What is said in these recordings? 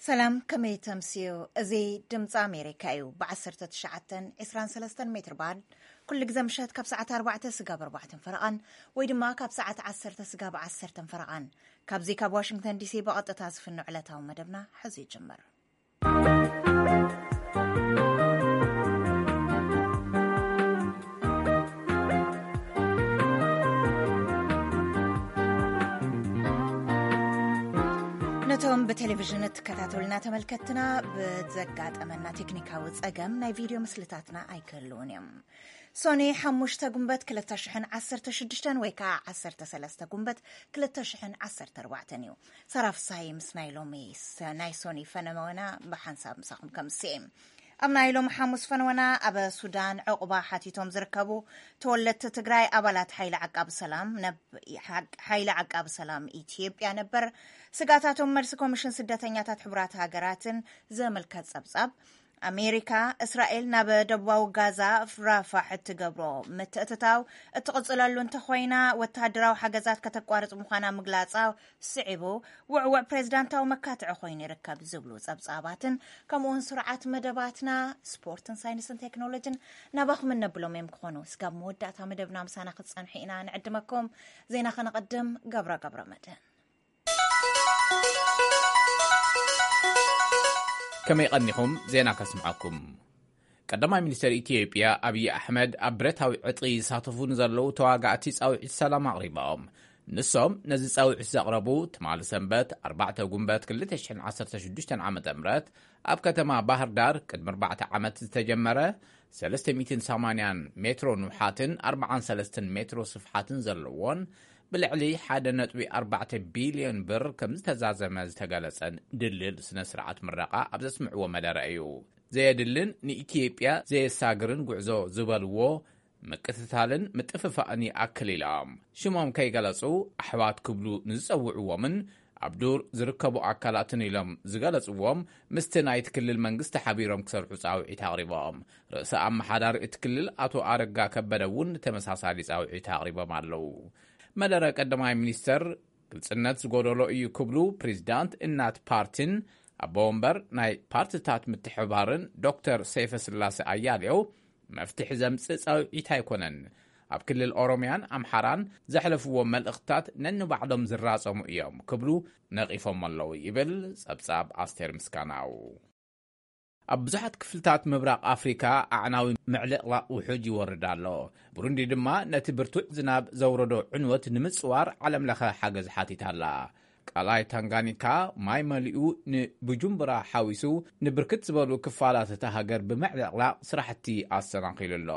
ሰላም፣ ከመይ ተምስዩ? እዚ ድምፂ ኣሜሪካ እዩ። ብ19 23 ሜትር ባንድ ኩሉ ግዜ ምሸት ካብ ሰዓት ኣርባዕተ ስጋብ ኣርባዕተን ፈረቓን ወይ ድማ ካብ ሰዓት ዓሰርተ ስጋብ ዓሰርተን ፈረቓን፣ ካብዚ ካብ ዋሽንግተን ዲሲ ብቐጥታ ዝፍኖ ዕለታዊ መደብና ሕዚ ይጅምር። ነቶም ብቴሌቪዥን እትከታተሉና ተመልከትና፣ ብዘጋጠመና ቴክኒካዊ ጸገም ናይ ቪድዮ ምስልታትና ኣይክህልውን እዮም። ሶኒ ሓሙሽተ ጉንበት ክልተ ሽሕን ዓሰርተ ሽዱሽተን ወይ ከዓ ዓሰርተ ሰለስተ ጉንበት ክልተ ሽሕን ዓሰርተ ኣርባዕተን እዩ። ሳራ ፍሳይ ምስ ናይ ሎሚ ሰ-፣ ናይ ሶኒ ፈነወና ብሓንሳብ ምሳኹም ከምስኤ። ኣብ ናይ ሎም ሓሙስ ፈነወና፣ ኣብ ሱዳን ዕቑባ ሓቲቶም ዝርከቡ ተወለድቲ ትግራይ ኣባላት ሓይሊ ዓቃቢ ሰላም ነብ-፣ ሓ-፣ ሓይሊ ዓቃቢ ሰላም ኢትዮጵያ ነበር ስጋታቶም መልሲ ኮሚሽን ስደተኛታት ሕቡራት ሃገራትን ዘመልከት ጸብጻብ፣ ኣሜሪካ፣ እስራኤል ናብ ደቡባዊ ጋዛ ራፋሕ እትገብሮ ምትእትታው እትቕጽለሉ እንተኾይና፣ ወተሃደራዊ ሓገዛት ከተቋርጽ ምዃና ምግላጻ ስዒቡ፣ ውዕውዕ ፕሬዝዳንታዊ መካትዒ ኮይኑ ይርከብ ዝብሉ ጸብጻባትን፣ ከምኡውን ስርዓት መደባትና ስፖርትን ሳይንስን ቴክኖሎጅን ናባኹም እነብሎም እዮም ክኾኑ። ስጋብ መወዳእታ መደብና ምሳና ክትጸንሑ ኢና ንዕድመኩም። ዜና ከነቐድም፣ ገብረ ገብረ መድህን። ከመይ ቀኒኹም? ዜና ከስምዓኩም። ቀዳማይ ሚኒስተር ኢትዮጵያ ኣብይ ኣሕመድ፣ ኣብ ብረታዊ ዕጥቂ ይሳተፉ ንዘለዉ ተዋጋእቲ ጻውዒት ሰላም ኣቕሪቦም። ንሶም ነዚ ጻውዒት ዘቕረቡ፣ ትማሊ ሰንበት ኣርባዕተ ጉንበት ክልተ ሽሕን ዓሰርተ ሽዱሽተን ዓመተ ምህረት ኣብ ከተማ ባህር ዳር ቅድሚ ኣርባዕተ ዓመት ዝተጀመረ ሰለስተ ሚእትን ሰማንያን ሜትሮ ንውሓትን ኣርባዓን ሰለስተን ሜትሮ ስፍሓትን ዘለዎን፣ ብልዕሊ ሓደ ነጥቢ ኣርባዕተ ቢልዮን ብር ከም ዝተዛዘመ ዝተገለጸን ድልድል ስነ ስርዓት ምረቓ ኣብ ዘስምዕዎ መደረ እዩ። ዘየድልን ንኢትዮጵያ ዘየሳግርን ጉዕዞ ዝበልዎ ምቅትታልን ምጥፍፋእን ይኣክል ኢሎም። ሽሞም ከይገለጹ ኣሕዋት ክብሉ ንዝጸውዕዎምን ኣብ ዱር ዝርከቡ ኣካላትን ኢሎም ዝገለጽዎም፣ ምስቲ ናይቲ ክልል መንግስቲ ሓቢሮም ክሰርሑ ጻውዒት ኣቕሪቦም። ርእሰ ኣመሓዳሪ እቲ ክልል ኣቶ ኣረጋ ከበደ እውን ተመሳሳሊ ጻውዒት ኣቕሪቦም ኣለዉ። መደረ ቀዳማይ ሚኒስተር ግልጽነት ዝጎደሎ እዩ ክብሉ ፕሬዚዳንት እናት ፓርቲን ኣቦ ወንበር ናይ ፓርቲታት ምትሕብባርን ዶክተር ሰይፈ ስላሴ ኣያሌው፣ መፍትሒ ዘምጽእ ጻውዒት ኣይኮነን፣ ኣብ ክልል ኦሮሚያን ኣምሓራን ዘሕለፍዎ መልእኽትታት ነንባዕሎም ዝራጸሙ እዮም ክብሉ ነቒፎም ኣለዉ ይብል ጸብጻብ ኣስቴር ምስጋናው። ኣብ ብዙሓት ክፍልታት ምብራቕ ኣፍሪካ ኣዕናዊ ምዕልቕላቕ ውሑጅ ይወርድ ኣሎ። ብሩንዲ ድማ ነቲ ብርቱዕ ዝናብ ዘውረዶ ዕንወት ንምጽዋር ዓለምለኸ ሓገዝ ሓቲታ ኣላ። ቃላይ ታንጋኒካ ማይ መሊኡ ንቡጁምቡራ ሓዊሱ ንብርክት ዝበሉ ክፋላት እታ ሃገር ብምዕልቕላቕ ስራሕቲ ኣሰናኺሉ ኣሎ።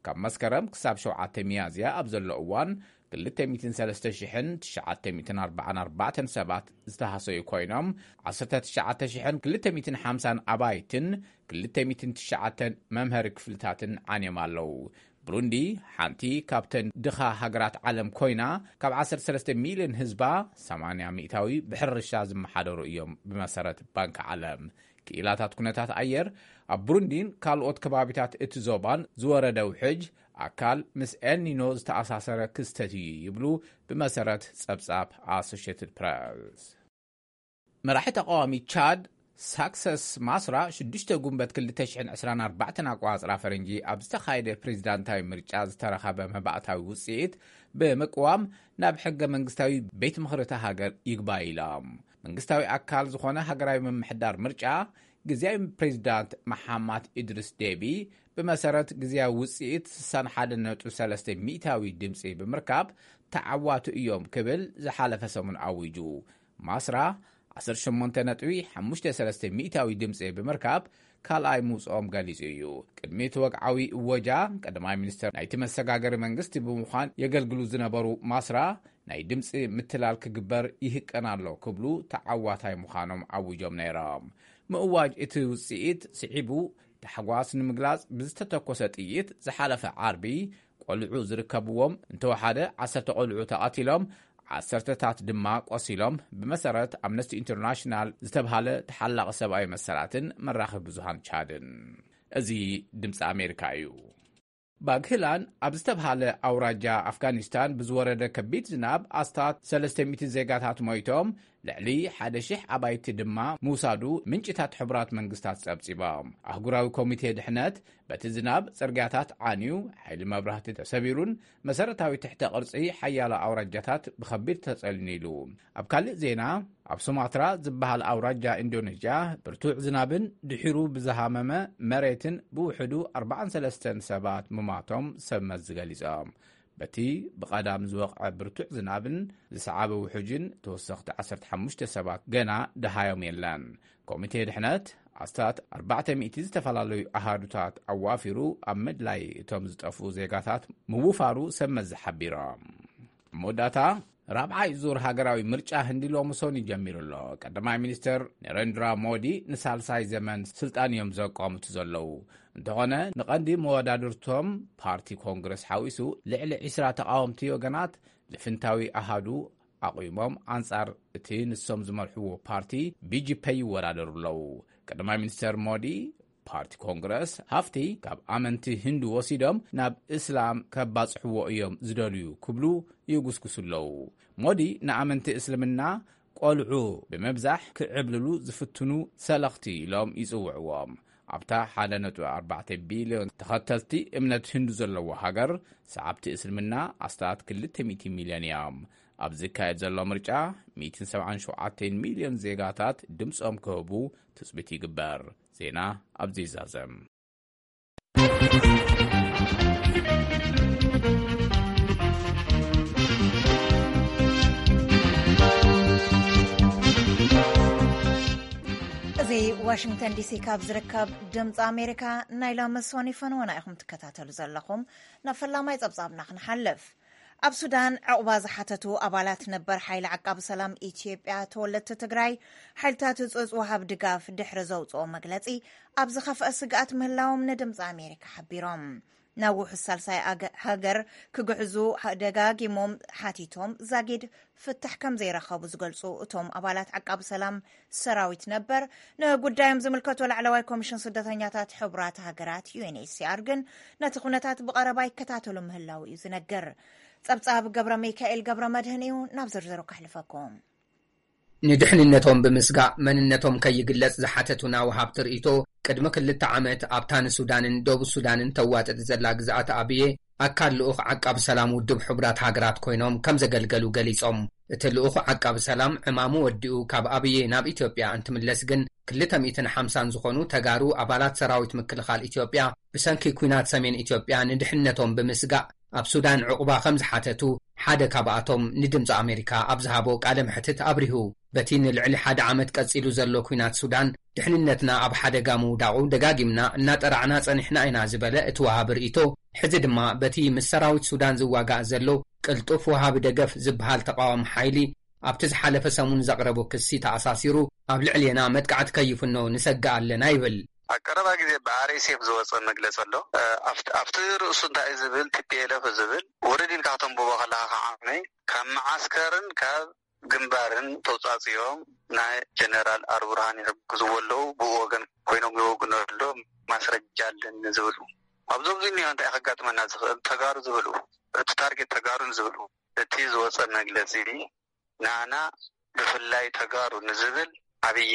ካብ መስከረም ክሳብ ሸውዓተ ሚያዝያ ኣብ ዘሎ እዋን ክልተ ሚእትን ሰለስተ ሽሕን ትሽዓተ ሚእትን ኣርባዓን ኣርባዕተን ሰባት ዝተሃሰዩ ኮይኖም፣ ዓሰርተ ትሽዓተ ሽሕን ክልተ ሚእትን ሓምሳን ኣባይትን ክልተ ሚእትን ትሽዓተን መምሃሪ ክፍልታትን ዓንዮም ኣለዉ። ብሩንዲ ሓንቲ ካብተን ድኻ ሃገራት ዓለም ኮይና፣ ካብ ዓሰርተ ሰለስተ ሚልዮን ህዝባ ሰማንያ ሚእታዊ ብሕርሻ ዝመሓደሩ እዮም፣ ብመሰረት ባንኪ ዓለም። ክኢላታት ኩነታት ኣየር ኣብ ብሩንዲን ካልኦት ከባቢታት እቲ ዞባን ዝወረደ ውሕጅ ኣካል ምስ ኤልኒኖ ዝተኣሳሰረ ክስተት እዩ ይብሉ፣ ብመሰረት ጸብጻብ ኣሶሽየትድ ፕረስ። መራሒ ተቃዋሚ ቻድ ሳክሰስ ማስራ ሽዱሽተ ጉንበት ክልተ ሽሕን ዕስራን ኣርባዕተን ኣቆጻጽራ ፈረንጂ ኣብ ዝተኻየደ ፕሬዚዳንታዊ ምርጫ ዝተረኸበ መባእታዊ ውጽኢት ብምቅዋም ናብ ሕገ መንግስታዊ ቤት ምኽሪ እታ ሃገር ይግባይ ኢሎም። መንግስታዊ ኣካል ዝኾነ ሃገራዊ ምምሕዳር ምርጫ ግዝያዊ ፕሬዚዳንት መሓማት ኢድሪስ ዴቢ ብመሰረት ግዝያዊ ውጽኢት ስሳን ሓደን ነጥቢ ሰለስተ ሚእታዊ ድምፂ ብምርካብ ተዓዋቲ እዮም ክብል ዝሓለፈ ሰሙን ኣዊጁ። ማስራ ዓሰርተ ሸሞንተ ነጥቢ ሓሙሽተ ሰለስተ ሚእታዊ ድምፂ ብምርካብ ካልኣይ ምውፅኦም ገሊፁ እዩ። ቅድሚ እቲ ወግዓዊ እወጃ ቀዳማይ ሚኒስትር ናይቲ መሰጋገሪ መንግስቲ ብምዃን የገልግሉ ዝነበሩ ማስራ ናይ ድምፂ ምትላል ክግበር ይህቀን ኣሎ ክብሉ ተዓዋታይ ምዃኖም ኣዊጆም ነይሮም። ምእዋጅ እቲ ውፅኢት ስዒቡ ታሕጓስ ንምግላፅ ብዝተተኮሰ ጥይት ዝሓለፈ ዓርቢ ቆልዑ ዝርከብዎም እንተወሓደ ዓሰርተ ቆልዑ ተቐቲሎም፣ ዓሰርተታት ድማ ቆሲሎም፣ ብመሰረት ኣምነስቲ ኢንተርናሽናል ዝተብሃለ ተሓላቒ ሰብኣዊ መሰላትን መራኸቢ ብዙሃን ቻድን። እዚ ድምፂ ኣሜሪካ እዩ። ባግህላን ኣብ ዝተብሃለ ኣውራጃ ኣፍጋኒስታን ብዝወረደ ከቢድ ዝናብ ኣስታት ሰለስተ ሚእቲ ዜጋታት ሞይቶም፣ ልዕሊ ሓደ ሺሕ ኣባይቲ ድማ ምውሳዱ ምንጭታት ሕቡራት መንግስታት ጸብጺቦም። ኣህጉራዊ ኮሚቴ ድሕነት በቲ ዝናብ ጽርግያታት ዓንዩ፣ ሓይሊ መብራህቲ ተሰቢሩን መሰረታዊ ትሕተ ቅርጺ ሓያሎ ኣውራጃታት ብኸቢድ ተጸልዩን ኢሉ። ኣብ ካልእ ዜና፣ ኣብ ሱማትራ ዝበሃል ኣውራጃ ኢንዶኔዥያ ብርቱዕ ዝናብን ድሒሩ ብዝሃመመ መሬትን ብውሕዱ ኣርባዓን ሰለስተን ሰባት ምማቶም ሰብ መዚ ገሊጾም። በቲ ብቐዳም ዝወቕዐ ብርቱዕ ዝናብን ዝሰዓበ ውሑጅን ተወሰኽቲ ዓሰርተ ሓሙሽተ ሰባት ገና ደሃዮም የለን። ኮሚቴ ድሕነት ኣስታት ኣርባዕተ ሚእቲ ዝተፈላለዩ ኣሃዱታት ኣዋፊሩ ኣብ ምድላይ እቶም ዝጠፍኡ ዜጋታት ምውፋሩ ሰብ መዚ ሓቢሮም። ኣብ መወዳእታ ራብዓይ ዙር ሃገራዊ ምርጫ ህንዲ ሎሚ ሰኑይ ጀሚሩ ኣሎ። ቀዳማይ ሚኒስተር ነረንድራ ሞዲ ንሳልሳይ ዘመን ስልጣን እዮም ዘቋምቱ ዘለዉ። እንተኾነ ንቐንዲ መወዳድርቶም ፓርቲ ኮንግረስ ሓዊሱ ልዕሊ ዒስራ ተቓወምቲ ወገናት ልፍንታዊ ኣሃዱ ኣቑሞም ኣንጻር እቲ ንሶም ዝመርሕዎ ፓርቲ ቢጂፔ ይወዳደሩ ኣለዉ። ቀዳማይ ሚኒስተር ሞዲ ፓርቲ ኮንግረስ ሃፍቲ ካብ ኣመንቲ ህንዱ ወሲዶም ናብ እስላም ከባጽሕዎ እዮም ዝደልዩ ክብሉ ይጉስጉሱ ኣለዉ። ሞዲ ንኣመንቲ እስልምና ቆልዑ ብምብዛሕ ክዕብልሉ ዝፍትኑ ሰለኽቲ ኢሎም ይጽውዕዎም። ኣብታ ሓደ ነጥቢ ኣርባዕተ ቢልዮን ተኸተልቲ እምነት ህንዱ ዘለዎ ሃገር፣ ሰዓብቲ እስልምና ኣስታት ክልተ ሚእቲ ሚልዮን እዮም። ኣብ ዝካየድ ዘሎ ምርጫ፣ ሚእትን ሰብዓን ሸውዓተን ሚልዮን ዜጋታት ድምጾም ክህቡ ትጽቢት ይግበር። ዜና ኣብዚ ይዛዘም። እዚ ዋሽንግተን ዲሲ ካብ ዝርከብ ድምፂ ኣሜሪካ ናይ ሎሚ ሰኒ ፈነወና ኢኹም ትከታተሉ ዘለኹም። ናብ ፈላማይ ጸብጻብና ክንሓልፍ። ኣብ ሱዳን ዕቑባ ዝሓተቱ ኣባላት ነበር ሓይሊ ዓቃቢ ሰላም ኢትዮጵያ ተወለድቲ ትግራይ፣ ሓይልታት ህጹጽ ወሃብ ድጋፍ ድሕሪ ዘውጽኦ መግለጺ፣ ኣብ ዝኸፍአ ስግኣት ምህላዎም ንድምጺ ኣሜሪካ ሓቢሮም። ናብ ውሑስ ሳልሳይ ኣገ-፣ ሃገር ክግዕዙ ደጋጊሞም ሓቲቶም ዛጊድ ፍታሕ ከም ዘይረኸቡ ዝገልጹ እቶም ኣባላት ዓቃቢ ሰላም ሰራዊት ነበር፣ ንጉዳዮም ዝምልከቶ ላዕለዋይ ኮሚሽን ስደተኛታት ሕቡራት ሃገራት፣ ዩ ኤን ኤች ሲ ኣር፣ ግን ነቲ ኩነታት ብቐረባ ይከታተሉ ምህላው እዩ ዝነገር። ጸብጻብ ገብረ ሚካኤል ገብረ መድህን እዩ፣ ናብ ዝርዝሩ ከሕልፈኩም። ንድሕንነቶም ብምስጋእ መንነቶም ከይግለጽ ዝሓተቱና ወሃብቲ ርእይቶ፣ ቅድሚ ክልተ ዓመት ኣብታ ንሱዳንን ደቡብ ሱዳንን ተዋጥጥ ዘላ ግዝኣት ኣብየ ኣካል ልኡኽ ዓቃቢ ሰላም ውድብ ሕቡራት ሃገራት ኮይኖም ከም ዘገልገሉ ገሊጾም። እቲ ልኡኽ ዓቃቢ ሰላም ዕማሙ ወዲኡ ካብ ኣብየ ናብ ኢትዮጵያ እንትምለስ ግን፣ ክልተ ሚእትን ሓምሳን ዝኾኑ ተጋሩ ኣባላት ሰራዊት ምክልኻል ኢትዮጵያ ብሰንኪ ኲናት ሰሜን ኢትዮጵያ ንድሕንነቶም ብምስጋእ ኣብ ሱዳን ዕቑባ ከም ዝሓተቱ ሓደ ካብኣቶም ንድምፂ ኣሜሪካ ኣብ ዝሃቦ ቃለ መሕትት ኣብሪሁ። በቲ ንልዕሊ ሓደ ዓመት ቀጺሉ ዘሎ ኲናት ሱዳን ድሕንነትና ኣብ ሓደጋ ምውዳቑ ደጋጊምና እናጠራዕና ጸኒሕና ኢና ዝበለ እቲ ወሃቢ ርእይቶ፣ ሕዚ ድማ በቲ ምስ ሰራዊት ሱዳን ዝዋጋእ ዘሎ ቅልጡፍ ወሃቢ ደገፍ ዝበሃል ተቃዋሚ ሓይሊ ኣብቲ ዝሓለፈ ሰሙን ዘቕረቦ ክሲ ተኣሳሲሩ ኣብ ልዕሌና መጥቃዕቲ ከይፍኖ ንሰግእ ኣለና ይብል። ኣብ ቀረባ ግዜ ብኣር ኤስ ኤፍ ዝወፀ መግለፂ ኣሎ። ኣብቲ ኣብቲ ርእሱ እንታይ ዝብል፣ ቲ ፒ ኤል ኤፍ ዝብል ውርድ ኢልካ ከተንብቦ ከለካ ከዓመይ ካብ መዓስከርን ካብ ግንባርን ተውፃፅኦም ናይ ጀነራል ኣልቡርሃን ይሕግዝዎ ኣለዉ፣ ብኡ ወገን ኮይኖም ይወግኑ ኣሎ፣ ማስረጃ ኣለኒ ዝብሉ። ኣብዞም ዝኒኦ እንታይ ከጋጥመና ዝኽእል? ተጋሩ ዝብሉ፣ እቲ ታርጌት ተጋሩ ንዝብሉ፣ እቲ ዝወፀ መግለፂ ንኣና ብፍላይ ተጋሩ ንዝብል ዓብዪ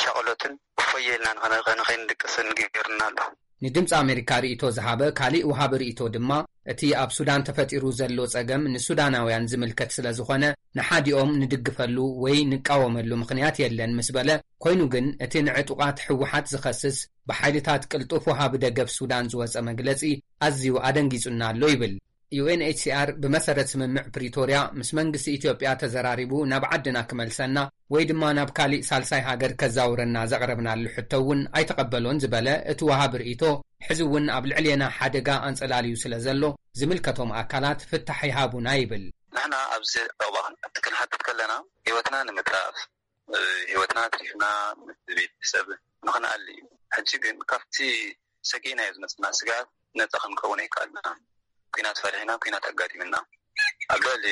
ሻቕሎትን እፎየ ኢልና ንኸነ-፣ ንኸይንድቅስን ገይሩና ኣሎ። ንድምፂ ኣሜሪካ ርእይቶ ዝሃበ ካሊእ ወሃቢ ርእይቶ ድማ፣ እቲ ኣብ ሱዳን ተፈጢሩ ዘሎ ጸገም ንሱዳናውያን ዝምልከት ስለ ዝኾነ፣ ንሓዲኦም ንድግፈሉ ወይ ንቃወመሉ ምኽንያት የለን ምስ በለ፣ ኮይኑ ግን እቲ ንዕጡቓት ህወሓት ዝኸስስ ብሓይልታት ቅልጡፍ ወሃቢ ደገፍ ሱዳን ዝወጸ መግለጺ ኣዝዩ ኣደንጊጹና ኣሎ ይብል። ዩ ኤን ኤች ሲ ኣር ብመሰረት ስምምዕ ፕሪቶርያ ምስ መንግስቲ ኢትዮጵያ ተዘራሪቡ ናብ ዓድና ክመልሰና ወይ ድማ ናብ ካሊእ ሳልሳይ ሃገር ከዛውረና ዘቕረብናሉ ሕቶ እውን ኣይተቐበሎን ዝበለ እቲ ወሃቢ ርእይቶ፣ ሕዚ እውን ኣብ ልዕሌና ሓደጋ ኣንጸላልዩ ስለ ዘሎ ዝምልከቶም ኣካላት ፍታሕ ይሃቡና ይብል። ንሕና ኣብዚ ዕቑባ ክንሓትት ከለና ህይወትና ንምትራፍ፣ ህይወትና ኣትሪፍና ምስ ቤተሰብ ንኽንኣሊ እዩ። ሕጂ ግን ካብቲ ሰጊእናዮ ዝመፅና ስግኣት ነፃ ክንከውን ኣይከኣልናን። ኲናት ፈሪሕና፣ ኲናት ኣጋጢምና። ኣብ ልዕሊ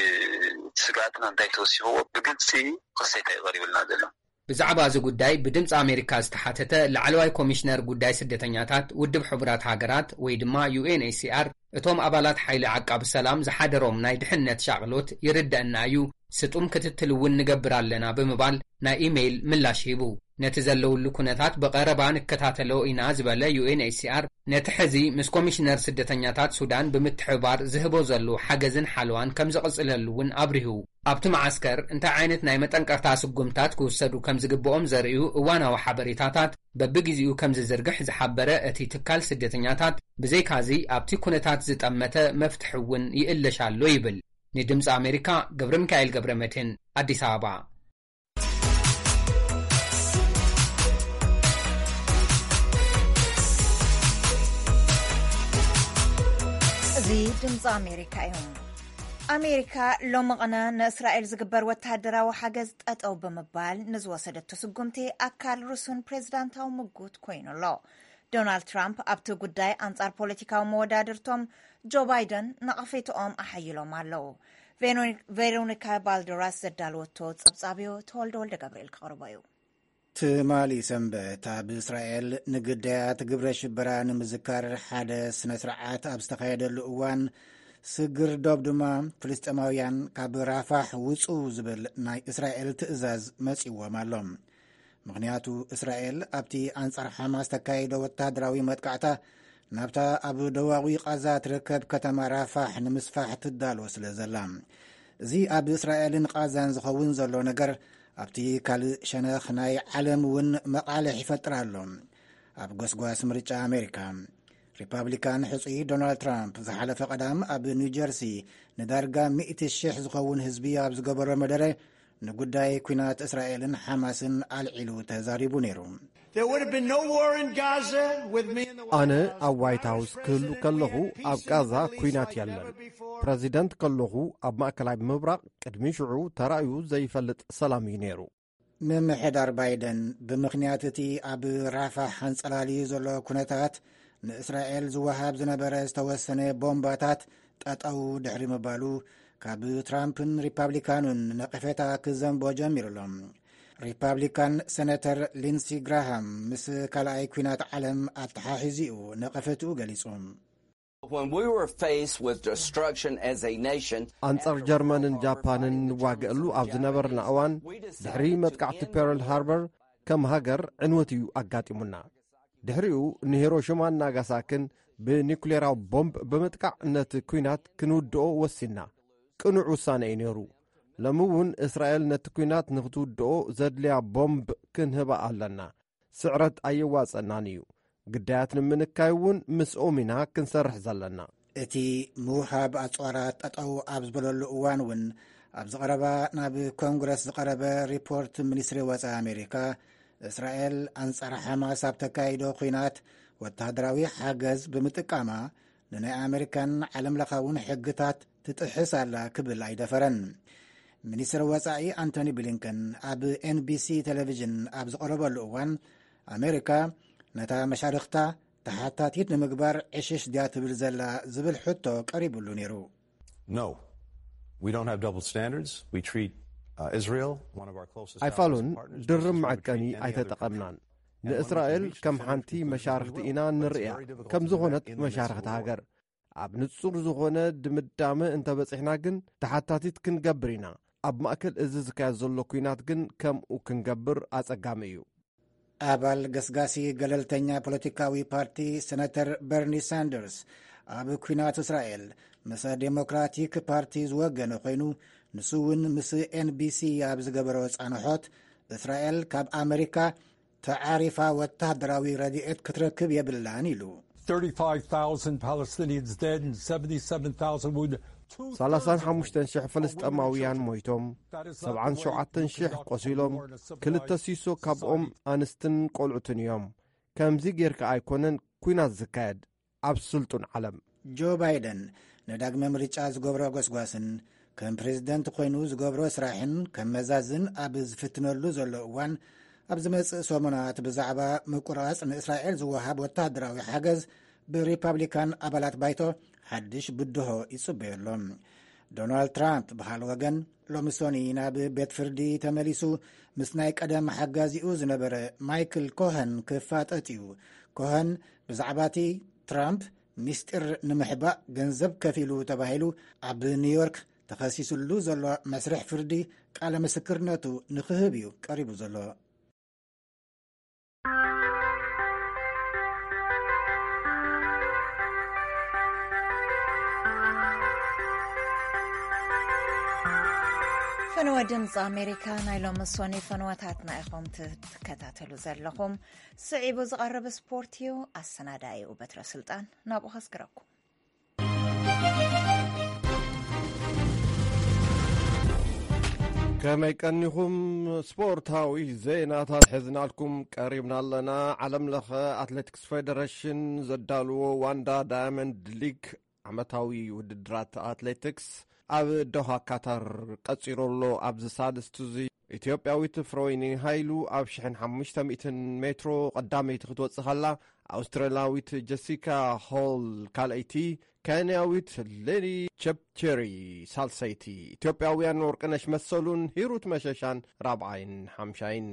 እቲ ስግኣትና እንታይ ተወሲኽዎ ብግልፂ ክሰይታ እዩ ቀሪቡልና ዘሎ። ብዛዕባ እዚ ጉዳይ ብድምፂ ኣሜሪካ ዝተሓተተ ላዕለዋይ ኮሚሽነር ጉዳይ ስደተኛታት ውድብ ሕቡራት ሃገራት ወይ ድማ ዩ ኤን ኤች ሲ ኣር እቶም ኣባላት ሓይሊ ዓቃቢ ሰላም ዝሓደሮም ናይ ድሕነት ሻቕሎት ይርደኣና እዩ፣ ስጡም ክትትል እውን ንገብር ኣለና ብምባል ናይ ኢሜይል ምላሽ ሂቡ። ነቲ ዘለውሉ ኩነታት ብቐረባ ንከታተሎ ኢና ዝበለ ዩ ኤን ኤች ሲ ኣር፣ ነቲ ሕዚ ምስ ኮሚሽነር ስደተኛታት ሱዳን ብምትሕብባር ዝህቦ ዘሎ ሓገዝን ሓለዋን ከም ዝቕጽለሉ እውን ኣብሪሁ። ኣብቲ መዓስከር እንታይ ዓይነት ናይ መጠንቀቕታ ስጉምታት ክውሰዱ ከም ዝግብኦም ዘርእዩ እዋናዊ ሓበሬታታት በብግዜኡ ከም ዝዝርግሕ ዝሓበረ እቲ ትካል ስደተኛታት፣ ብዘይካዚ ኣብቲ ኩነታት ዝጠመተ መፍትሒ እውን ይእለሽ ኣሎ ይብል። ንድምፂ ኣሜሪካ ገብረ ሚካኤል ገብረ መድህን፣ ኣዲስ ኣበባ። እዚ ድምፂ ኣሜሪካ እዩ። ኣሜሪካ ሎሚ ቕነ ንእስራኤል ዝግበር ወተሃደራዊ ሓገዝ ጠጠው ብምባል ንዝወሰደቶ ስጉምቲ ኣካል ርሱን ፕሬዝዳንታዊ ምጉት ኮይኑ ኣሎ። ዶናልድ ትራምፕ ኣብቲ ጉዳይ ኣንጻር ፖለቲካዊ መወዳድርቶም ጆ ባይደን ነቐፌትኦም ኣሓይሎም ኣለዉ። ቬሮኒ-፣ ቬሮኒካ ባልደራስ ዘዳለወቶ ጸብጻብ እዩ፣ ተወልደ ወልደ ገብርኤል ክቕርቦ እዩ። ትማሊ ሰንበት ኣብ እስራኤል ንግዳያት ግብረ ሽበራ ንምዝካር ሓደ ስነ ስርዓት ኣብ ዝተኻየደሉ እዋን፣ ስግር ዶብ ድማ ፍልስጤማውያን ካብ ራፋሕ ውጹ ዝብል ናይ እስራኤል ትእዛዝ መጺዎም ኣሎ። ምኽንያቱ እስራኤል ኣብቲ ኣንጻር ሓማስ ተካይዶ ወተሃደራዊ መጥቃዕታ ናብታ ኣብ ደቡባዊ ቃዛ ትርከብ ከተማ ራፋሕ ንምስፋሕ ትዳሎ ስለ ዘላ። እዚ ኣብ እስራኤልን ቃዛን ዝኸውን ዘሎ ነገር ኣብቲ ካልእ ሸነኽ ናይ ዓለም እውን መቓልሕ ይፈጥር ኣሎ። ኣብ ጎስጓስ ምርጫ ኣሜሪካ፣ ሪፓብሊካን ሕጹይ ዶናልድ ትራምፕ ዝሓለፈ ቀዳም ኣብ ኒው ጀርሲ ንዳርጋ ሚእቲ ሽሕ ዝኸውን ህዝቢ ኣብ ዝገበሮ መደረ ንጉዳይ ኲናት እስራኤልን ሓማስን ኣልዒሉ ተዛሪቡ ነይሩ። There would have been no war in Gaza with me in the White ኣነ House. ኣብ ዋይት ሃውስ ክህሉ ከለኹ ኣብ ቃዛ ኩናት የለን። ፕረዚደንት ከለኹ ኣብ ማእከላይ ምብራቕ ቅድሚ ሽዑ ተራእዩ ዘይፈልጥ ሰላም እዩ ነይሩ። ምምሕዳር ባይደን ብምኽንያት እቲ ኣብ ራፋሕ ኣንጸላልዩ ዘሎ ኩነታት ንእስራኤል ዝወሃብ ዝነበረ ዝተወሰነ ቦምባታት ጠጠው ድሕሪ ምባሉ ካብ ትራምፕን ሪፓብሊካኑን ነቐፌታ ክዘንቦ ጀሚሩ ኣሎ። ሪፓብሊካን ሴነተር ሊንሲ ግራሃም ምስ ካልኣይ ኲናት ዓለም ኣተሓሒዙ እዩ ነቐፌትኡ ገሊጹ። When we were faced with destruction as a nation, ኣንጻር ጀርመንን ጃፓንን ንዋገእሉ ኣብ ዝነበርና እዋን፣ ድሕሪ መጥቃዕቲ ፐርል ሃርበር ከም ሃገር ዕንወት እዩ ኣጋጢሙና። ድሕሪኡ ንሂሮሽማን ናጋሳክን ብኒኩሌራዊ ቦምብ ብምጥቃዕ ነቲ ኲናት ክንውድኦ ወሲና። ቅኑዕ ውሳነ እዩ ነይሩ። ሎሚ እውን እስራኤል ነቲ ኲናት ንኽትውድኦ ዘድልያ ቦምብ ክንህባ ኣለና። ስዕረት ኣየዋጸናን እዩ። ግዳያት ንምንካይ እውን ምስኦም ኢና ክንሰርሕ ዘለና። እቲ ምውሃብ ኣጽዋራት ጠጠው ኣብ ዝበለሉ እዋን እውን፣ ኣብዚ ቀረባ ናብ ኮንግረስ ዝቐረበ ሪፖርት ሚኒስትሪ ወጻኢ ኣሜሪካ፣ እስራኤል ኣንጻር ሓማስ ኣብ ተካይዶ ኲናት ወተሃደራዊ ሓገዝ ብምጥቃማ፣ ንናይ ኣሜሪካን ዓለም ለኻውን ሕግታት ትጥሕስ ኣላ ክብል ኣይደፈረን። ሚኒስትር ወጻኢ ኣንቶኒ ብሊንከን ኣብ ኤን ቢ ሲ ቴሌቪዥን ኣብ ዝቐረበሉ እዋን፣ ኣሜሪካ ነታ መሻርኽታ ተሓታቲት ንምግባር ዕሽሽ ድያ ትብል ዘላ ዝብል ሕቶ ቀሪቡሉ ነይሩ። No, we don't have double standards. We treat uh, Israel, one of our closest allies ኣይፋሉን and partners, just ድርብ as we would መዐቀኒ treat any other country. ኣይተጠቐምናን። And when it's ንእስራኤል reached ከም definitive ሓንቲ conclusion, we መሻርኽቲ will. ኢና But it's ንርእያ፣ very difficult ከም to do ዝኾነት that in this መሻርኽቲ war. ሃገር። ኣብ ንጹር ዝኾነ ድምዳመ እንተበጺሕና ግን ተሓታቲት ክንገብር ኢና። ኣብ ማእከል እዚ ዝካየድ ዘሎ ኲናት ግን ከምኡ ክንገብር ኣጸጋሚ እዩ። ኣባል ገስጋሲ ገለልተኛ ፖለቲካዊ ፓርቲ ሰነተር በርኒ ሳንደርስ፣ ኣብ ኲናት እስራኤል ምስ ዴሞክራቲክ ፓርቲ ዝወገነ ኮይኑ፣ ንሱ እውን ምስ ኤን ቢ ሲ ኣብ ዝገበሮ ጻንሖት፣ እስራኤል ካብ ኣመሪካ ተዓሪፋ ወተሃደራዊ ረድኤት ክትረክብ የብላን ኢሉ። Thirty-five thousand Palestinians dead and seventy-seven thousand wounded. Two-thirds of them ሰላሳን ሓሙሽተን ሽሕ ፍልስጤማውያን ሞይቶም፣ ሰብዓን ሸውዓተን ሽሕ ቆሲሎም፣ ክልተ ሲሶ ካብኦም ኣንስትን ቆልዑትን እዮም። ከምዚ ጌርካ ኣይኮነን ኲናት ዝካየድ ኣብ ስልጡን ዓለም። ጆ ባይደን ንዳግመ ምርጫ ዝገብሮ ጎስጓስን ከም ፕሬዝደንት ኮይኑ ዝገብሮ ስራሕን ከመዛዝን ኣብ ዝፍትነሉ ዘሎ እዋን፣ ኣብ ዝመጽእ ሰሙናት ብዛዕባ ምቁራጽ ንእስራኤል ዝወሃብ ወተሃደራዊ ሓገዝ ብሪፓብሊካን ኣባላት ባይቶ ሓድሽ ብድሆ ይጽበዮ ኣሎ። ዶናልድ ትራምፕ ብኻልእ ወገን፣ ሎሚ ሶኒ ናብ ቤት ፍርዲ ተመሊሱ ምስ ናይ ቀደም ሓጋዚኡ ዝነበረ ማይክል ኮሀን ክፋጠጥ እዩ። ኮሀን ብዛዕባ እቲ ትራምፕ ምስጢር ንምሕባእ ገንዘብ ከፊሉ ተባሂሉ ኣብ ኒውዮርክ ተኸሲስሉ ዘሎ መስርሕ ፍርዲ ቃለ ምስክርነቱ ንክህብ እዩ ቀሪቡ ዘሎ። ፈነወ ድምፂ ኣሜሪካ ናይ ሎሚ ሶኒ ፈነወታትና ኢኹም ትከታተሉ ዘለኹም። ስዒቡ ዝቐርብ ስፖርት እዩ። ኣሰናዳኢኡ በትረ ስልጣን ናብኡ ከስግረኩም። ከመይ ቀኒኹም? ስፖርታዊ ዜናታት ሒዝናልኩም ቀሪብና ኣለና። ዓለም ለኸ ኣትሌቲክስ ፌደሬሽን ዘዳልዎ ዋንዳ ዳያመንድ ሊግ ዓመታዊ ውድድራት ኣትሌቲክስ ኣብ ዶሃ ካታር ቀጺሩ ኣሎ። ኣብዚ ሳልስቲ እዚ ኢትዮጵያዊት ፍሮይኒ ሃይሉ ኣብ ሽሕን ሓሙሽተ ሚእትን ሜትሮ ቀዳመይቲ ክትወጽእ ከላ፣ ኣውስትራልያዊት ጀሲካ ሆል ካልኣይቲ፣ ኬንያዊት ሌኒ ቸፕቸሪ ሳልሰይቲ፣ ኢትዮጵያውያን ወርቅነሽ መሰሉን ሂሩት መሸሻን ራብዓይን ሓምሻይን።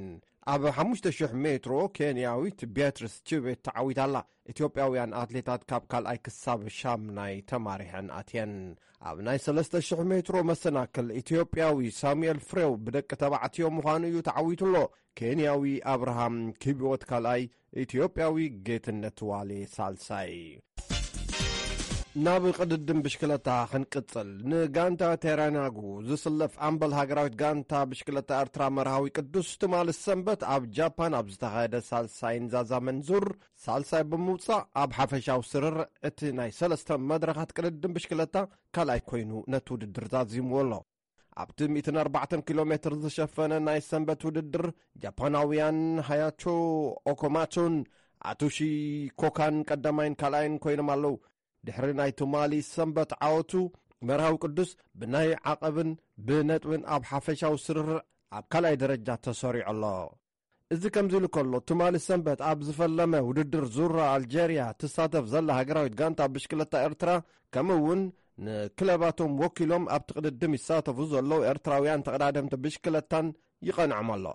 ኣብ ሓሙሽተ ሽሕ ሜትሮ ኬንያዊት ቢያትሪስ ቺቤት ተዓዊታ ኣላ። ኢትዮጵያውያን ኣትሌታት ካብ ካልኣይ ክሳብ ሻምናይ ተማሪሐን ኣትየን። ኣብ ናይ ሰለስተ ሽሕ ሜትሮ መሰናክል ኢትዮጵያዊ ሳሙኤል ፍሬው ብደቂ ተባዕትዮ ምዃኑ እዩ ተዓዊቱ ኣሎ። ኬንያዊ ኣብርሃም ኪቢዎት ካልኣይ፣ ኢትዮጵያዊ ጌትነት ዋሌ ሳልሳይ። ናብ ቅድድም ብሽክለታ ክንቅጽል፣ ንጋንታ ቴራናጉ ዝስለፍ ኣምበል ሃገራዊት ጋንታ ብሽክለታ ኤርትራ መርሃዊ ቅዱስ ትማሊ ሰንበት ኣብ ጃፓን ኣብ ዝተኻየደ ሳልሳይን ዛዛምን ዙር ሳልሳይ ብምውጻእ፣ ኣብ ሓፈሻዊ ስርርዕ እቲ ናይ ሰለስተ መድረኻት ቅድድም ብሽክለታ ካልኣይ ኮይኑ ነቲ ውድድር ዛዚምዎ ኣሎ። ኣብቲ ሚእትን ኣርባዕተን ኪሎ ሜትር ዝሸፈነ ናይ ሰንበት ውድድር፣ ጃፓናውያን ሃያቾ ኦኮማቶን ኣቱሺ ኮካን ቀዳማይን ካልኣይን ኮይኖም ኣለዉ። ድሕሪ ናይ ትማሊ ሰንበት ዓወቱ፣ መርሃዊ ቅዱስ ብናይ ዓቐብን ብነጥብን ኣብ ሓፈሻዊ ስርርዕ ኣብ ካልኣይ ደረጃ ተሰሪዑ ኣሎ። እዚ ከምዚ ኢሉ ከሎ፣ ትማሊ ሰንበት ኣብ ዝፈለመ ውድድር ዙራ ኣልጀርያ ትሳተፍ ዘላ ሃገራዊት ጋንታ ብሽክለታ ኤርትራ፣ ከምኡ እውን ንክለባቶም ወኪሎም ኣብቲ ቅድድም ይሳተፉ ዘለዉ ኤርትራውያን ተቐዳደምቲ ብሽክለታን ይቐንዖም ኣሎ።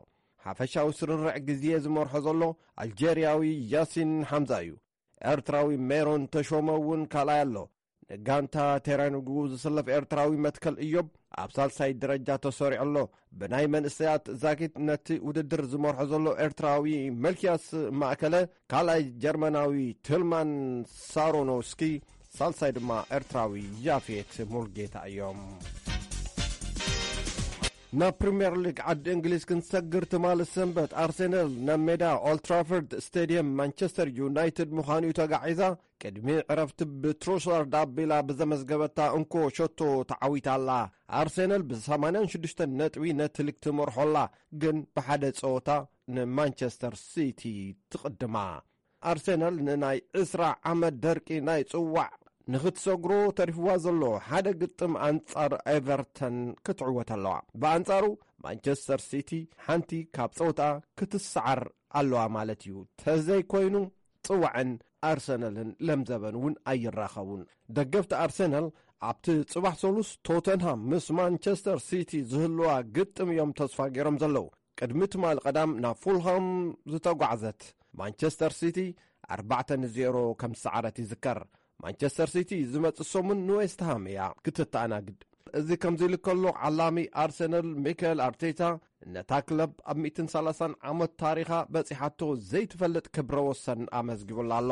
ሓፈሻዊ ስርርዕ ግዜ ዝመርሖ ዘሎ ኣልጀርያዊ ያሲን ሓምዛ እዩ። ኤርትራዊ ሜሮን ተሾመ እውን ካልኣይ ኣሎ። ንጋንታ ቴራንጉ ዝስለፍ ኤርትራዊ መትከል እዮብ ኣብ ሳልሳይ ደረጃ ተሰሪዑ ኣሎ። ብናይ መንእሰያት ዛጊት ነቲ ውድድር ዝመርሖ ዘሎ ኤርትራዊ መልክያስ ማእከለ፣ ካልኣይ ጀርመናዊ ትልማን ሳሮኖስኪ፣ ሳልሳይ ድማ ኤርትራዊ ያፌት ሙልጌታ እዮም። ናብ ፕሪምየር ሊግ ዓዲ እንግሊዝ ክንሰግር፣ ትማሊ ሰንበት ኣርሴናል ናብ ሜዳ ኦልትራፎርድ ስቴድየም ማንቸስተር ዩናይትድ ምዃኑ እዩ ተጋዒዛ። ቅድሚ ዕረፍቲ ብትሮሳርድ ኣቢላ ብዘመዝገበታ እንኮ ሸቶ ተዓዊታ ኣላ። ኣርሴናል ብ ሰማንያን ሽዱሽተን ነጥቢ ነቲ ሊግ ትመርሖ ኣላ፣ ግን ብሓደ ጸወታ ንማንቸስተር ሲቲ ትቕድማ። ኣርሴናል ንናይ ዕስራ ዓመት ደርቂ ናይ ጽዋዕ ንኽትሰግሮ ተሪፍዋ ዘሎ ሓደ ግጥም ኣንጻር ኤቨርተን ክትዕወት ኣለዋ። ብኣንጻሩ ማንቸስተር ሲቲ ሓንቲ ካብ ጸወታ ክትሰዓር ኣለዋ ማለት እዩ። ተዘይኮይኑ ጽዋዕን ኣርሰናልን ለምዘበን እውን ኣይራኸቡን። ደገፍቲ ኣርሰናል ኣብቲ ጽባሕ ሰሉስ ቶተንሃም ምስ ማንቸስተር ሲቲ ዝህልዋ ግጥም እዮም ተስፋ ገይሮም ዘለዉ። ቅድሚ ትማሊ ቀዳም ናብ ፉልሃም ዝተጓዕዘት ማንቸስተር ሲቲ ኣርባዕተ ንዜሮ ከም ዝሰዓረት ይዝከር። ማንቸስተር ሲቲ ዝመጽእ ሰሙን ንዌስትሃም እያ ክትተኣናግድ። እዚ ከምዚ ኢሉ ከሎ፣ ዓላሚ ኣርሰናል ሚካኤል ኣርቴታ ነታ ክለብ ኣብ ሚእትን ሰላሳን ዓመት ታሪኻ በጺሓቶ ዘይትፈልጥ ክብረ ወሰን ኣመዝጊቡላ ኣሎ።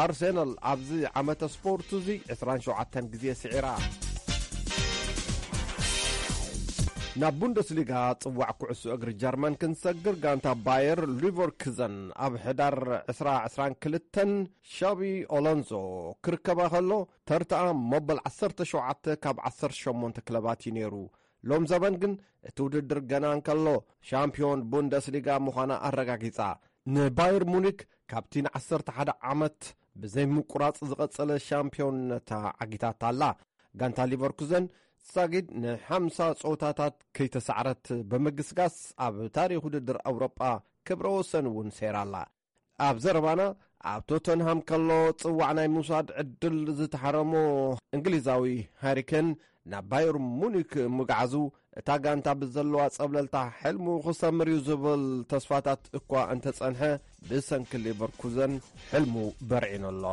ኣርሰናል ኣብዚ ዓመተ ስፖርት እዚ ዕስራን ሸውዓተን ግዜ ስዒራ። ናብ ቡንደስሊጋ ጽዋዕ ኩዕሶ እግሪ ጀርመን ክንሰግር፣ ጋንታ ባየር ሊቨርኩዘን ኣብ ሕዳር ዕስራ ዕስራን ክልተን ሻቢ ኦሎንዞ ክርከባ ከሎ፣ ተርታኣ መበል ዓሰርተ ሸውዓተ ካብ ዓሰርተ ሸሞንተ ክለባት እዩ ነይሩ። ሎም ዘበን ግን እቲ ውድድር ገና እንከሎ ሻምፒዮን ቡንደስሊጋ ምዃና ኣረጋጊጻ። ንባየር ሙኒክ ካብቲ ንዓሰርተ ሓደ ዓመት ብዘይ ምቁራጽ ዝቐጸለ ሻምፒዮንነታ ዓጊታታ ኣላ። ጋንታ ሊቨርኩዘን ሳጊድ ንሓምሳ ጸወታታት ከይተሳዕረት ብምግስጋስ ኣብ ታሪኽ ውድድር ኣውሮጳ ክብረ ወሰን እውን ሰይራ ኣላ። ኣብ ዘረባና፣ ኣብ ቶተንሃም ከሎ ጽዋዕ ናይ ምውሳድ ዕድል ዝተሓረሞ እንግሊዛዊ ሃሪኬን ናብ ባየር ሙኒክ ምግዓዙ፣ እታ ጋንታ ብዘለዋ ጸብለልታ ሕልሙ ክሰምር እዩ ዝብል ተስፋታት እኳ እንተጸንሐ፣ ብሰንኪ ሊቨርኩዘን ሕልሙ በርዒኑ ኣሎ።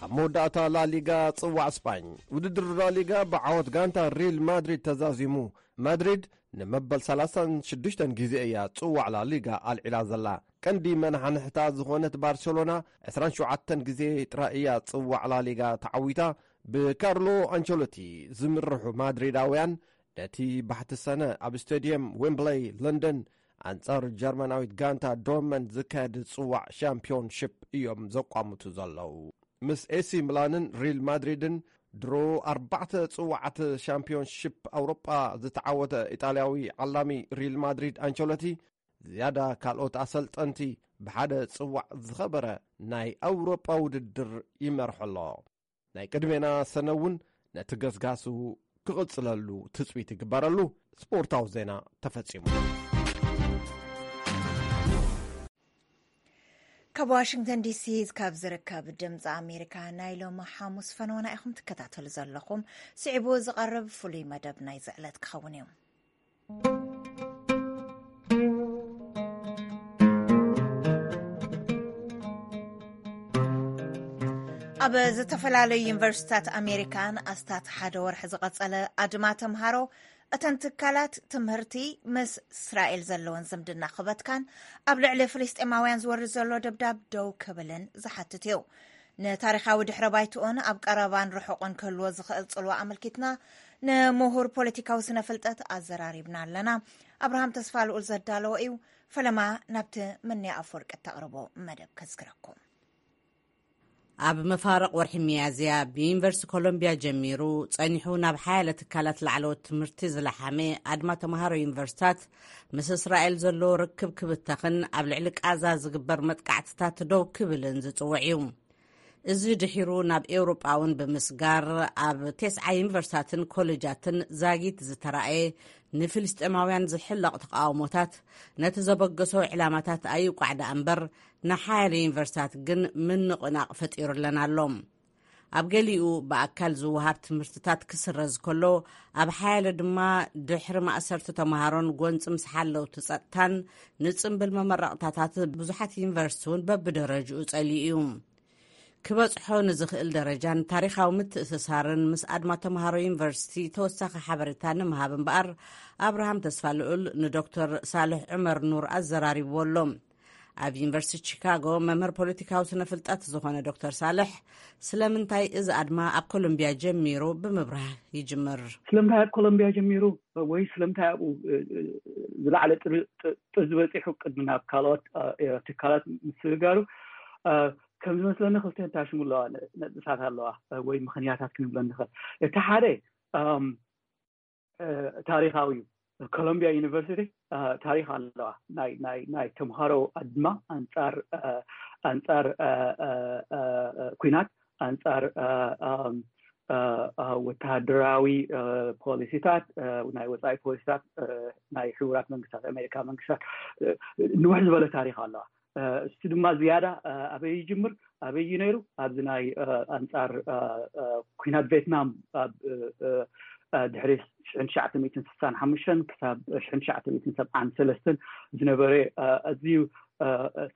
ኣብ መወዳእታ ላሊጋ ጽዋዕ ስጳኝ። ውድድር ላሊጋ ብዓወት ጋንታ ሪል ማድሪድ ተዛዚሙ። ማድሪድ ንመበል ሰላሳን ሽዱሽተን ግዜ እያ ጽዋዕ ላሊጋ ኣልዒላ ዘላ። ቀንዲ መናሓንሕታ ዝኾነት ባርሴሎና ዕስራን ሸውዓተን ግዜ ጥራይ እያ ጽዋዕ ላሊጋ ተዓዊታ። ብካርሎ ኣንቸሎቲ ዝምርሑ ማድሪዳውያን ነቲ ባሕቲ ሰነ ኣብ ስቴድየም ዌምብለይ ለንደን ኣንጻር ጀርመናዊት ጋንታ ዶርትመንድ ዝካየድ ጽዋዕ ሻምፒዮንሺፕ እዮም ዘቋምቱ ዘለዉ። ምስ ኤሲ ሚላንን ሪል ማድሪድን ድሮ ኣርባዕተ ጽዋዓት ሻምፒዮንሺፕ ኣውሮጳ ዝተዓወተ ኢጣልያዊ ዓላሚ ሪል ማድሪድ ኣንቸሎቲ ዝያዳ ካልኦት ኣሰልጠንቲ ብሓደ ጽዋዕ ዝኸበረ ናይ ኣውሮጳ ውድድር ይመርሖ ኣሎ። ናይ ቅድሜና ሰነ እውን ነቲ ገስጋሱ ክቕጽለሉ ትጽቢት ይግበረሉ። ስፖርታዊ ዜና ተፈጺሙ። ካብ ዋሽንግተን ዲሲ ካብ ዝርከብ ድምፂ ኣሜሪካ ናይ ሎሚ ሓሙስ ፈነወና ኢኹም ትከታተሉ ዘለኹም። ስዒቡ ዝቐርብ ፍሉይ መደብ ናይ ዝዕለት ክኸውን እዩ። ኣብ ዝተፈላለዩ ዩኒቨርሲታት ኣሜሪካን ኣስታት ሓደ ወርሒ ዝቐጸለ ኣድማ ተምሃሮ፣ እተን ትካላት ትምህርቲ ምስ እስራኤል ዘለወን ዝምድና ክበትካን ኣብ ልዕሊ ፍልስጤማውያን ዝወርድ ዘሎ ደብዳብ ደው ክብልን ዝሓትት እዩ። ንታሪኻዊ ድሕረ ባይትኡን ኣብ ቀረባን ርሑቕን ክህልዎ ዝኽእል ጽልዋ ኣመልኪትና ንምሁር ፖለቲካዊ ስነ ፍልጠት ኣዘራሪብና ኣለና። ኣብርሃም ተስፋ ልኡል ዘዳለዎ እዩ። ፈለማ ናብቲ ምንያ ኣፈወርቂ እተቕርቦ መደብ ከዝክረኩም። ኣብ መፋርቕ ወርሒ ሚያዝያ ብዩኒቨርሲቲ ኮሎምቢያ ጀሚሩ ጸኒሑ ናብ ሓያለ ትካላት ላዕለዎት ትምህርቲ ዝለሓመ ኣድማ ተምሃሮ ዩኒቨርሲታት ምስ እስራኤል ዘለዎ ርክብ ክብተኽን ኣብ ልዕሊ ቃዛ ዝግበር መጥቃዕትታት ደው ክብልን ዝጽውዕ እዩ። እዚ ድሒሩ ናብ ኤውሮጳ እውን ብምስጋር ኣብ ቴስዓ ዩኒቨርሲታትን ኮሌጃትን ዛጊት ዝተራእየ ንፍልስጤማውያን ዝሕለቕ ተቃውሞታት ነቲ ዘበገሶ ዕላማታት ኣይቋዕ ደኣ እምበር ንሓያለ ዩኒቨርሲታት ግን ምንቕናቕ ፈጢሩለን ኣሎ። ኣብ ገሊኡ ብኣካል ዝወሃብ ትምህርትታት ክስረዝ ከሎ ኣብ ሓያለ ድማ ድሕሪ ማእሰርቲ ተምሃሮን ጎንፂ ምስ ሓለውቲ ጸጥታን ንጽምብል መመረቕታታት ብዙሓት ዩኒቨርሲቲ እውን በብደረጅኡ ጸሊኡ እዩ። ክበጽሖ ንዝኽእል ደረጃን ታሪኻዊ ምትእስሳርን ምስ ኣድማ ተምሃሮ ዩኒቨርሲቲ ተወሳኺ ሓበሬታ ንምሃብ እምበኣር ኣብርሃም ተስፋ ልዑል ንዶክተር ሳልሕ ዑመር ኑር ኣዘራሪብዎ ኣሎ። ኣብ ዩኒቨርሲቲ ቺካጎ መምህር ፖለቲካዊ ስነ ፍልጠት ዝኾነ ዶክተር ሳልሕ ስለምንታይ እዚ ኣድማ ኣብ ኮሎምቢያ ጀሚሩ ብምብራህ ይጅምር። ስለምንታይ ኣብ ኮሎምቢያ ጀሚሩ ወይ ስለምንታይ ኣብኡ ዝለዓለ ጥርዚ በፂሑ ቅድሚ ናብ ካልኦት ትካላት ምስግጋሩ ከም ዝመስለኒ ክልተ ታሽሙ ኣለዋ ነጥብታት ኣለዋ ወይ ምኽንያታት ክንብሎ ንኽእል። እቲ ሓደ ታሪኻዊ እዩ። ኮሎምቢያ ዩኒቨርሲቲ ታሪኽ ኣለዋ። ናይ ተምሃሮ ኣድማ ኣንፃር ኣንፃር ኩናት ኣንፃር ወተሃደራዊ ፖሊሲታት ናይ ወፃኢ ፖሊሲታት ናይ ሕቡራት መንግስታት ኣሜሪካ መንግስታት ንውሕ ዝበለ ታሪኽ ኣለዋ። እሱ ድማ ዝያዳ ኣበይ ይጅምር ኣበይ እዩ ነይሩ ኣብዚ ናይ ኣንፃር ኩናት ቬትናም ኣብ ድሕሪ ሽሕን ትሽዓተ ሚእትን ስሳን ሓሙሽተን ክሳብ ሽሕን ትሽዓተ ሚእትን ሰብዓን ሰለስተን ዝነበረ ኣዝዩ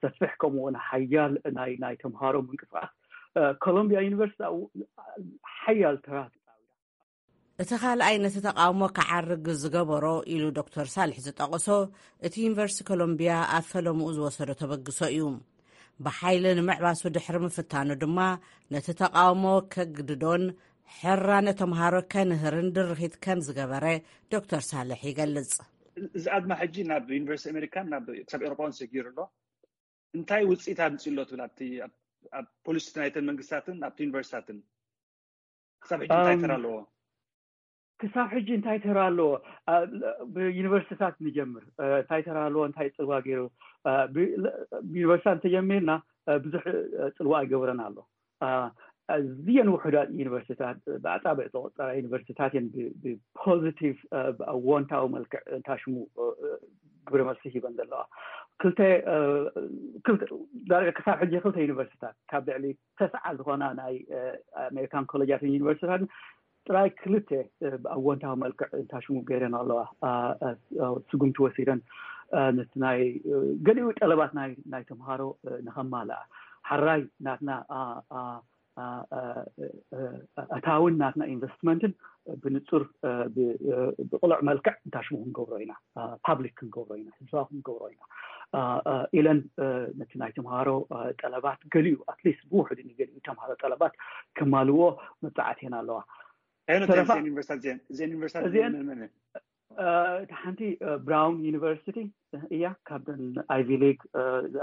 ሰፊሕ ከምኡ እውን ሓያል ናይ ናይ ተምሃሮ ምንቅስቃስ ኮሎምቢያ ዩኒቨርሲቲ ሓያል ተራ። እቲ ካልኣይ ነቲ ተቃውሞ ክዓርግ ዝገበሮ ኢሉ ዶክተር ሳልሕ ዝጠቐሶ እቲ ዩኒቨርሲቲ ኮሎምቢያ ኣብ ፈለምኡ ዝወሰዶ ተበግሶ እዩ። ብሓይሊ ንምዕባሱ ድሕሪ ምፍታኑ ድማ ነቲ ተቃውሞ ከግድዶን ሕራነ ተምሃሮ ከንህርን ድርኺት ከም ዝገበረ ዶክተር ሳልሕ ይገልጽ። እዚ ኣድማ ሕጂ ናብ ዩኒቨርሲቲ ኣሜሪካን ናብ ክሳብ ኤውሮጳ እውን ሰጊሩ ኣሎ። እንታይ ውፅኢት ኣምፅኡ ኣሎ ትብል ኣብቲ ኣብ ፖሊሲ ናይተን መንግስታትን ኣብቲ ዩኒቨርሲታትን ክሳብ ሕጂ እንታይ ተራ ኣለዎ? ክሳብ ሕጂ እንታይ ተራ ኣለዎ? ብዩኒቨርሲታት ንጀምር። እንታይ ተራ ኣለዎ? እንታይ ፅልዋ ገይሩ? ብዩኒቨርሲታት እንተጀሚርና ብዙሕ ፅልዋ ኣይገብረን ኣሎ። ኣዝየን ውሑዳት ዩኒቨርሲታት ብኣፃብዕ ዝቆፀራ ዩኒቨርሲታት እየን ብፖዚቲቭ ብኣወንታዊ መልክዕ እንታሽሙ ግብረ መልሲ ሂበን ዘለዋ። ክልተ ዳርጋ ክሳብ ሕጂ ክልተ ዩኒቨርሲታት ካብ ልዕሊ ተስዓ ዝኾና ናይ ኣሜሪካን ኮሌጃትን ዩኒቨርሲታትን ጥራይ ክልተ ብኣወንታዊ መልክዕ እንታሽሙ ገይረን ኣለዋ። ስጉምቲ ወሲደን ነቲ ናይ ገሊኡ ጠለባት ናይ ናይ ተምሃሮ ንኸማልኣ ሓራይ ናትና ኣታውን ናትና ኢንቨስትመንትን ብንፁር ብቅሉዕ መልክዕ እንታሽሙ ክንገብሮ ኢና፣ ፓብሊክ ክንገብሮ ኢና፣ ህዝባዊ ክንገብሮ ኢና ኢለን ነቲ ናይ ተምሃሮ ጠለባት ገሊኡ ኣትሊስት ብውሕዱ ንገሊኡ ተምሃሮ ጠለባት ከማልዎ መብፃዕትየን ኣለዋ። እቲ ሓንቲ ብራውን ዩኒቨርሲቲ እያ፣ ካብተን ኣይቪ ሊግ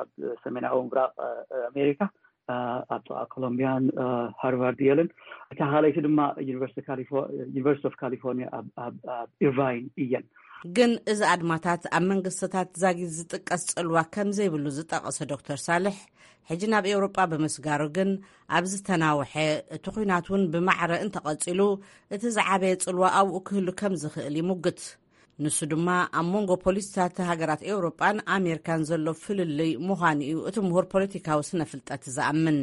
ኣብ ሰሜናዊ ምብራቅ ኣሜሪካ ኣብ ጥቃ ኮሎምቢያን ሃርቫርድ የልን። እታ ካልኣይቲ ድማ ዩኒቨርሲቲ ኦፍ ካሊፎርኒያ ኣብ ኢርቫይን እየን። ግን እዚ ኣድማታት ኣብ መንግስትታት ዛጊት ዝጥቀስ ጽልዋ ከም ዘይብሉ ዝጠቐሰ ዶክተር ሳልሕ፣ ሕጂ ናብ ኤውሮጳ ብምስጋሩ ግን ኣብ ዝተናውሐ እቲ ኲናት እውን ብማዕረ እንተቐጺሉ እቲ ዝዓበየ ጽልዋ ኣብኡ ክህሉ ከም ዝኽእል ይሙግት። ንሱ ድማ ኣብ መንጎ ፖሊሲታት ሃገራት ኤውሮጳን ኣሜሪካን ዘሎ ፍልልይ ምዃኑ እዩ እቲ ምሁር ፖለቲካዊ ስነ ፍልጠት ዝኣምን።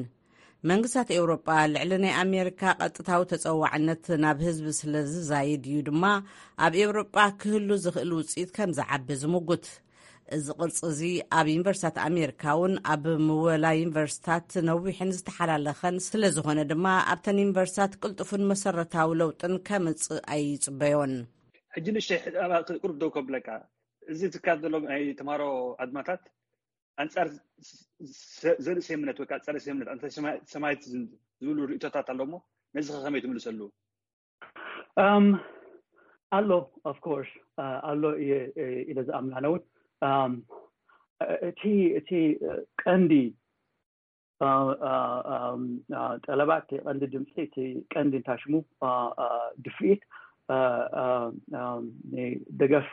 መንግስታት ኤውሮጳ ልዕሊ ናይ ኣሜሪካ ቀጥታዊ ተጸዋዕነት ናብ ህዝቢ ስለ ዝዛይድ እዩ ድማ ኣብ ኤውሮጳ ክህሉ ዝኽእል ውጽኢት ከም ዝዓቢ ዝምጉት። እዚ ቅርጺ እዚ ኣብ ዩኒቨርሲታት ኣሜሪካ እውን ኣብ ምወላ ዩኒቨርሲታት ነዊሕን ዝተሓላለኸን ስለ ዝኾነ ድማ ኣብተን ዩኒቨርሲታት ቅልጡፍን መሰረታዊ ለውጥን ከምጽእ ኣይጽበዮን። ሕጂ ንእሽተይ ቁሩብ ደው ከብለካ፣ እዚ ዝካየድ ዘሎ ናይ ተምሃሮ ኣድማታት ኣንፃር ዘርኢ ሰምነት ወይ ከዓ ፀረ ሰምነት ኣንተ ሰማይት ዝብሉ ርእቶታት ኣሎ እሞ ነዚ ከመይ ትምልሰሉ? ኣሎ። ኦፍኮርስ ኣሎ ኢለ ዝኣምናነውን እቲ እቲ ቀንዲ ጠለባት እቲ ቀንዲ ድምፂ እቲ ቀንዲ እንታሽሙ ድፍኢት ደገፍ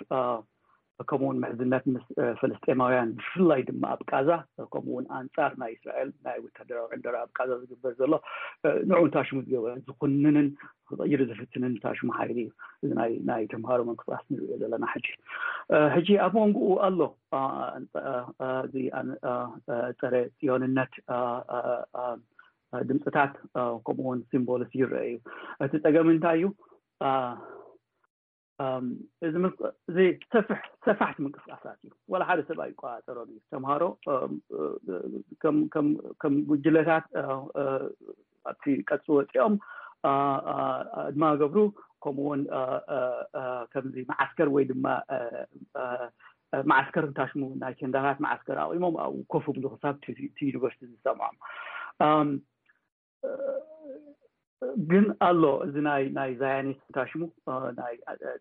ከምኡውን ምሕዝነት ምስ ፍልስጤማውያን ብፍላይ ድማ ኣብ ቃዛ ከምኡውን ኣንፃር ናይ እስራኤል ናይ ወታደራዊ ዕንደራ ኣብ ቃዛ ዝግበር ዘሎ ንዑ እንታሽሙ ዝገበረ ዝኩንንን ክቕይር ዝፍትንን እንታሽሙ ሓይሊ እዩ። እዚ ናይ ተምሃሮ ምንቅስቃስ ንሪኦ ዘለና ሕጂ ሕጂ ኣብ መንጎኡ ኣሎ እዚ ፀረ ፅዮንነት ድምፅታት ከምኡውን ሲምቦልስ ይረአ እዩ። እቲ ፀገም እንታይ እዩ? እዚ ሰፋሕቲ ምንቅስቃሳት እዩ። ዋላ ሓደ ሰብ ኣይቆፃፀሮን እዩ። ተምሃሮ ከም ጉጅለታት ኣብቲ ቀፅ ወፂኦም ድማ ገብሩ ከምኡውን ከምዚ መዓስከር ወይ ድማ መዓስከር እንታሽሙ ናይ ቴንዳታት መዓስከር ኣቂሞም ኣብኡ ኮፍ ብሉ ክሳብ እቲ ዩኒቨርሲቲ ዝሰምዖም ግን ኣሎ እዚ ናይ ናይ ዛያኒስት እንታሽሙ ናይ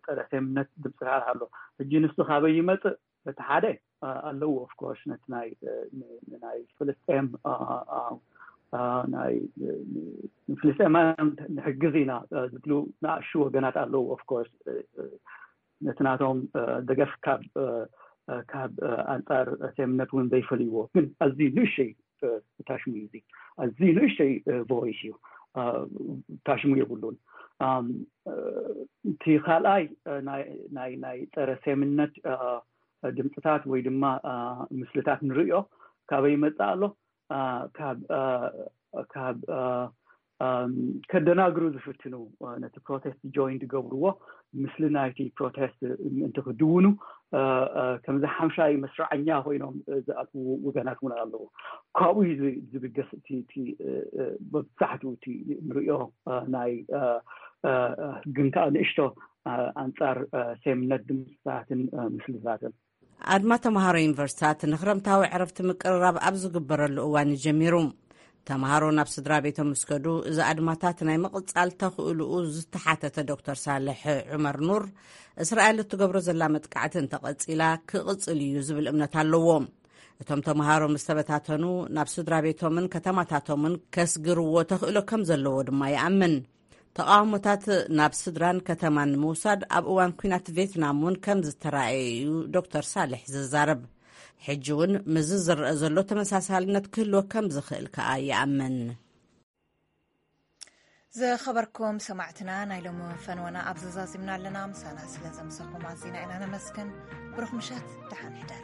ፀረ ሴምነት ድምፅታት ኣሎ። ሕጂ ንሱ ካበይ ይመፅእ? እቲ ሓደ ኣለዎ ኦፍኮርስ ነቲ ናይ ናይ ፍልስጤም ናይ ፍልስጤማውያን ንሕግዝ ኢና ዝብሉ ንኣሹ ወገናት ኣለዉ። ኦፍኮርስ ነቲ ናቶም ደገፍ ካብ ካብ ኣንፃር ሴምነት እውን ዘይፈልይዎ ግን ኣዝዩ ንእሽተይ ታሽሙ እዩ። ኣዝዩ ንእሽተይ ቮይስ እዩ፣ ታሽሙ የብሉን። እቲ ካልኣይ ናይ ናይ ፀረ ሴምነት ድምፅታት ወይ ድማ ምስልታት ንርእዮ ካበይ ይመፅእ ኣሎ? ካብ ካብ ከደናግሩ ዝፍትኑ ነቲ ፕሮቴስት ጆይን ዝገብርዎ ምስሊ ናይቲ ፕሮቴስት ምእንቲ ክድውኑ ከምዚ ሓምሻይ መስርዐኛ ኮይኖም ዝኣትዉ ወገናት እውን ኣለዉ። ካብኡ እዩ ዝብገስ እቲ መብዛሕትኡ እቲ ንሪኦ ናይ ግን ከዓ ንእሽቶ ኣንፃር ሴምነት ድምፅታትን ምስልታትን ኣድማ ተምሃሮ ዩኒቨርሲታት ንክረምታዊ ዕረፍቲ ምቅርራብ ኣብ ዝግበረሉ እዋን እዩ ጀሚሩ። ተምሃሮ ናብ ስድራ ቤቶም ምስ ከዱ እዚ ኣድማታት ናይ ምቕጻል ተኽእልኡ ዝተሓተተ ዶክተር ሳልሕ ዑመር ኑር፣ እስራኤል እትገብሮ ዘላ መጥቃዕቲ እንተቐጺላ ክቕጽል እዩ ዝብል እምነት ኣለዎ። እቶም ተምሃሮ ምስ ተበታተኑ ናብ ስድራ ቤቶምን ከተማታቶምን ከስግርዎ ተኽእሎ ከም ዘለዎ ድማ ይኣምን። ተቓውሞታት ናብ ስድራን ከተማን ንምውሳድ ኣብ እዋን ኲናት ቬትናም እውን ከም ዝተራእየ እዩ ዶክተር ሳልሕ ዝዛረብ። ሕጂ እውን ምስዚ ዝረአ ዘሎ ተመሳሳልነት ክህልዎ ከም ዝኽእል ከኣ ይኣምን። ዝኸበርኩም ሰማዕትና፣ ናይ ሎሚ ፈንወና ኣብ ዘዛዚምና ኣለና። ምሳና ስለ ዘምሰኹም ኣዚና ኢና ነመስግን። ብሩኽ ምሸት፣ ደሓን ሕደሩ።